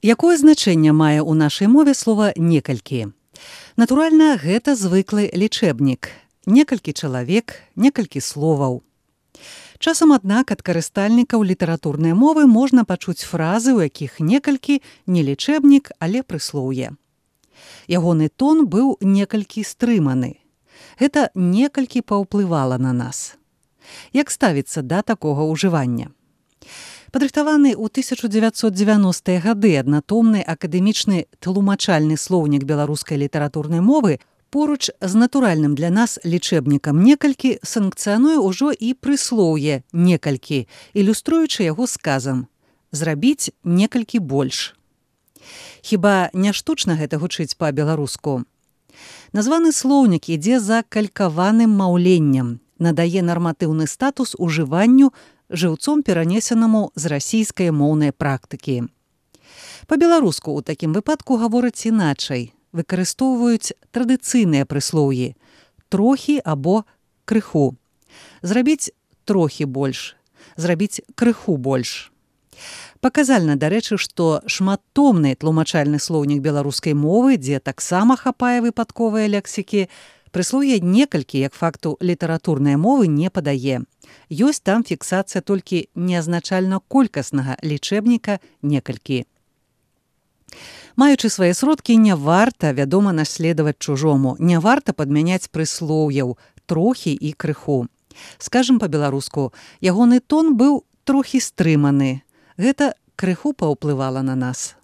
Якое значэнне мае ў нашай мове слова «некалькі»? Натуральна, гэта звыклы лічэбнік. Некалькі чалавек, некалькі словаў. Часам, аднак, ад карыстальнікаў літаратурнай мовы можна пачуць фразы, у якіх некалькі не лічэбнік, але прыслоўе. Ягоны тон быў некалькі стрыманы. Гэта некалькі паўплывала на нас. Як ставіцца да такога ўжывання? Падрыхтаваны ў 1990-е гады аднатомны акадэмічны тлумачальны слоўнік беларускай літаратурнай мовы поруч з натуральным для нас лічэбнікам некалькі санкцыянуе ўжо і прыслоўе некалькі, ілюструючы яго сказам «зрабіць некалькі больш». Хіба не штучна гэта гучыць па-беларуску? Названы слоўнік ідзе за калькаваным маўленнем, надае нарматыўны статус ужыванню жыўцом перанесенаму з расійскай моўнай практыкі. Па-беларуску ў такім выпадку гавораць іначай, выкарыстоўваюць традыцыйныя прыслоўі «трохі» або «крыху». Зрабіць трохі больш, зрабіць крыху больш. Паказальна, дарэчы, што шматтомны тлумачальны слоўнік беларускай мовы, дзе таксама хапае выпадковыя лексікі, прыслоўе некалькі, як факту літаратурнай мовы, не падае. Ёсць там фіксацыя толькі неазначальна-колькаснага лічэбніка некалькі. Маючы свае сродкі, не варта, вядома, наследаваць чужому, не варта падмяняць прыслоўяў «трохі» і «крыху». Скажам па-беларуску, ягоны тон быў трохі стрыманы. Гэта крыху паўплывала на нас.